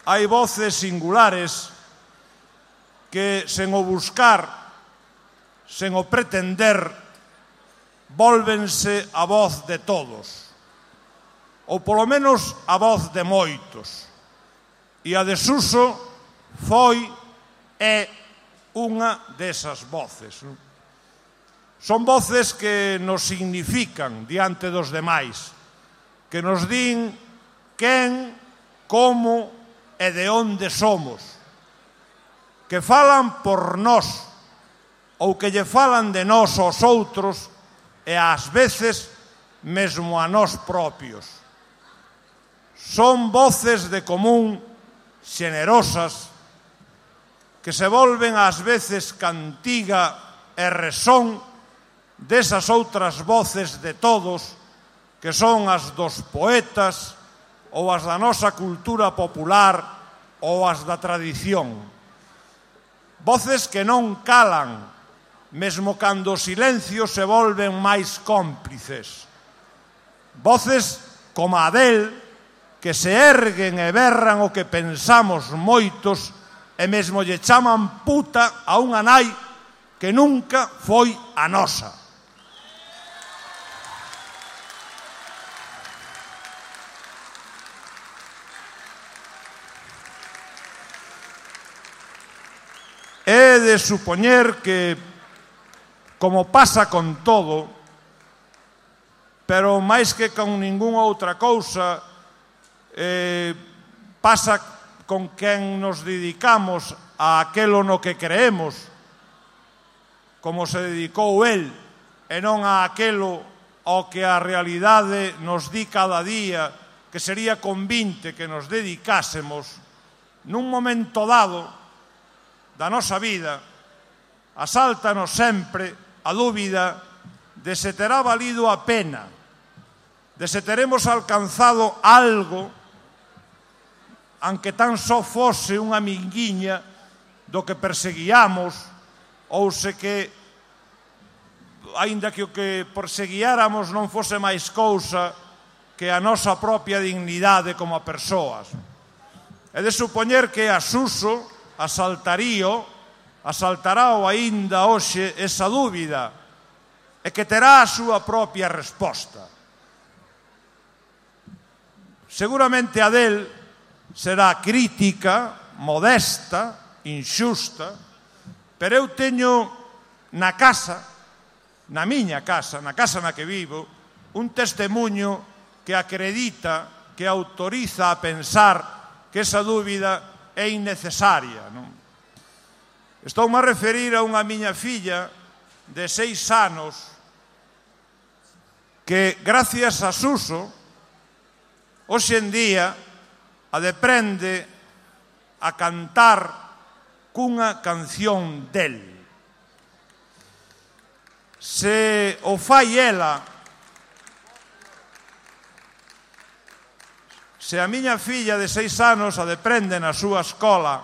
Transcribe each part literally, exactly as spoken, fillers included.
hai voces singulares que, sen o buscar, sen o pretender, vólvense a voz de todos, ou polo menos a voz de moitos. E a de Suso foi, é, unha desas voces. Son voces que nos significan diante dos demais, que nos din quen, como e de onde somos, que falan por nós, ou que lle falan de nós aos outros e ás veces mesmo a nós propios. Son voces de común, xenerosas, que se volven ás veces cantiga e resón desas outras voces de todos, que son as dos poetas, ou as da nosa cultura popular, ou as da tradición. Voces que non calan, mesmo cando os silencios se volven máis cómplices. Voces como a del, que se erguen e berran o que pensamos moitos, e mesmo lle chaman puta a unha nai que nunca foi a nosa. É de supoñer que, como pasa con todo, pero máis que con ningunha outra cousa, eh, pasa con quen nos dedicamos a aquelo no que creemos, como se dedicou el, e non a aquelo ao que a realidade nos di cada día que sería convinte que nos dedicásemos nun momento dado da nosa vida. Asáltanos sempre a dúbida de se terá valido a pena, de se teremos alcanzado algo, aunque tan só fose unha minguiña do que perseguíamos, ou se que, aínda que o que perseguiáramos non fose máis cousa que a nosa propia dignidade como a persoas. É de supoñer que a Suso asaltarío, asaltará o aínda hoxe esa dúbida, e que terá a súa propia resposta. Seguramente a del será crítica, modesta, inxusta, pero eu teño na casa, na miña casa, na casa na que vivo, un testemuño que acredita, que autoriza a pensar que esa dúbida é innecesaria, non? Estoume a referir a unha miña filla de seis anos que, gracias a Suso, hoxe en día a deprende a cantar cunha canción del. Se o fai ela, se a miña filla de seis anos a deprende na súa escola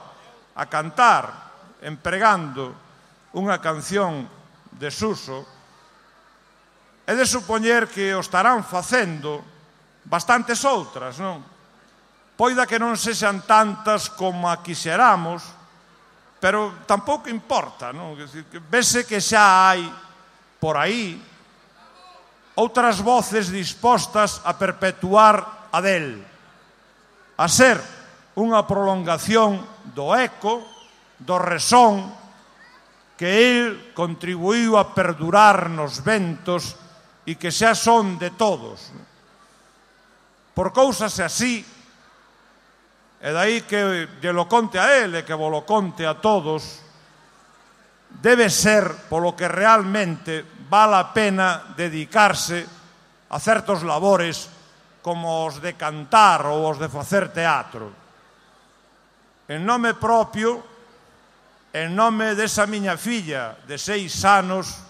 a cantar empregando unha canción de Suso, é de supoñer que o estarán facendo bastantes outras, non? Poida que non sexan tantas como a quixeramos, pero tampouco importa, non? Vese que xa hai por aí outras voces dispostas a perpetuar a del, a ser unha prolongación do eco, do resón que el contribuíu a perdurar nos ventos e que xa son de todos. Por cousas así, e dai que lle lo conte a el e que vos lo conte a todos, debe ser polo que realmente vale a pena dedicarse a certos labores como os de cantar ou os de facer teatro. En nome propio, en nome desa miña filla de seis anos,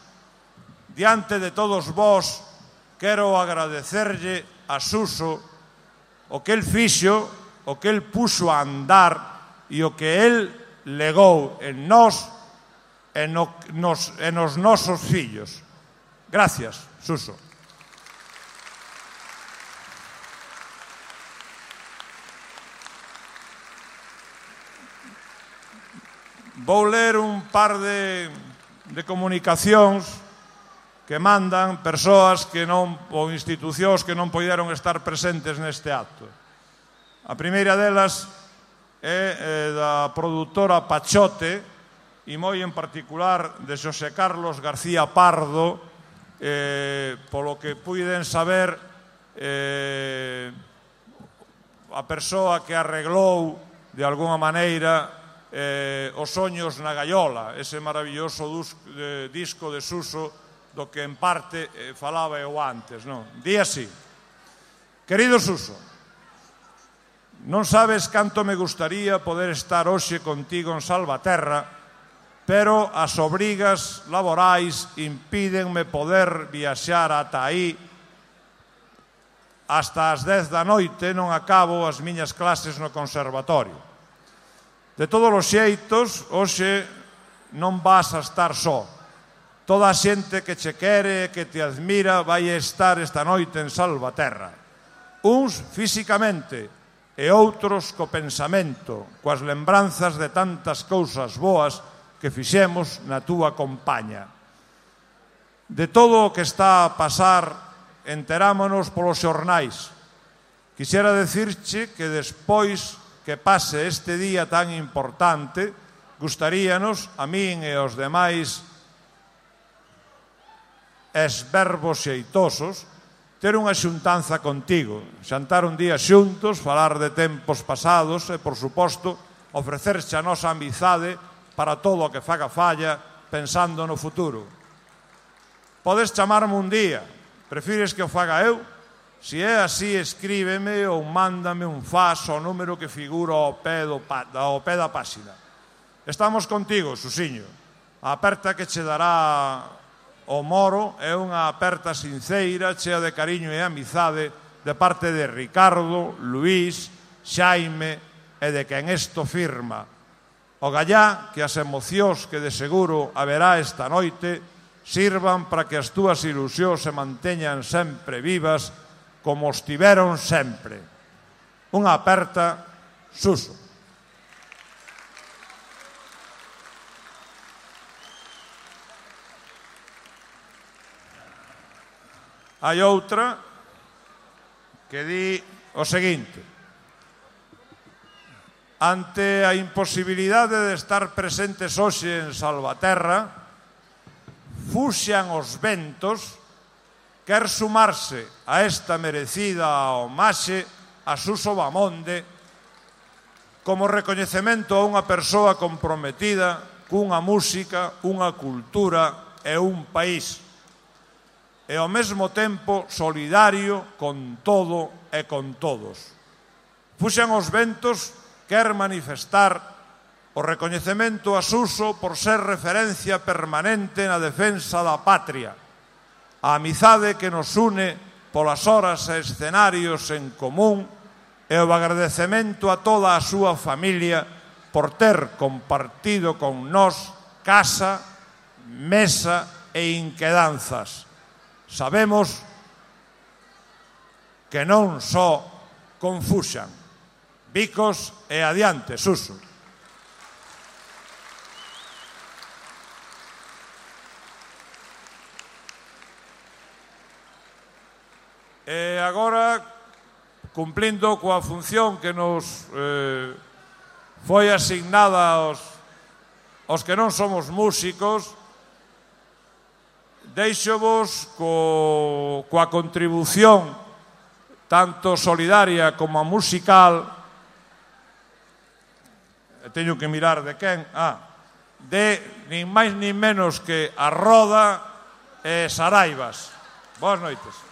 diante de todos vós, quero agradecerlle a Suso o que el fixo, o que el puxo a andar e o que el legou en nós e no, nos, en os nosos fillos. Gracias, Suso. vou ler un par de, de comunicacións que mandan persoas que non, ou institucións que non poideron estar presentes neste acto. A primeira delas é eh, da produtora Pachote e moi en particular de Xosé Carlos García Pardo, eh, polo que puiden saber eh, a persoa que arreglou de alguna maneira eh, Os soños na gaiola, ese maravilloso dus, eh, disco de Suso do que en parte eh, falaba eu antes, non? Di así: querido Suso, non sabes canto me gustaría poder estar hoxe contigo en Salvaterra, pero as obrigas laborais impídenme poder viaxar ata aí. Hasta as dez da noite non acabo as miñas clases no conservatorio. De todos os xeitos, hoxe non vas a estar só. Toda a xente que che quere e que te admira vai estar esta noite en Salvaterra. Uns físicamente e outros co pensamento, coas lembranzas de tantas cousas boas que fixemos na túa compaña. De todo o que está a pasar enterámonos polos xornais. Quixera decirche que despois que pase este día tan importante, gustaríanos, a min e aos demais esverbos xeitosos, ter unha xuntanza contigo, xantar un día xuntos, falar de tempos pasados e, por suposto, ofrecerche a nosa amizade para todo o que faga falla pensando no futuro. Podes chamarme un día. Prefires que o faga eu? Se é así, escríbeme ou mándame un fax ao número que figura ao pé, do, ao pé da páxina. Estamos contigo, Susiño. A aperta que che dará o Moro é unha aperta sinceira, chea de cariño e amizade de parte de Ricardo, Luís, Xaime e de quen esto firma. O gallá que as emocións que de seguro haberá esta noite sirvan para que as túas ilusións se manteñan sempre vivas como estiveron sempre. Unha aperta, Suso. Hai outra que di o seguinte: ante a imposibilidade de estar presentes hoxe en Salvaterra, fuxan os ventos, quer sumarse a esta merecida homaxe a Suso Bamonde como recoñecemento a unha persoa comprometida cunha música, unha cultura e un país, e ao mesmo tempo solidario con todo e con todos. Fuxan os ventos quer manifestar o recoñecemento a Suso por ser referencia permanente na defensa da patria, a amizade que nos une polas horas e escenarios en común e o agradecemento a toda a súa familia por ter compartido con nós casa, mesa e inquedanzas. Sabemos que non só confuxan. Bicos e adiante, Suso. E agora, cumplindo coa función que nos eh, foi asignada aos, aos que non somos músicos, deixovos co, coa contribución tanto solidaria como musical, teño que mirar de quen, ah, de nin máis nin menos que a Roda e Saraivas. Boas noites.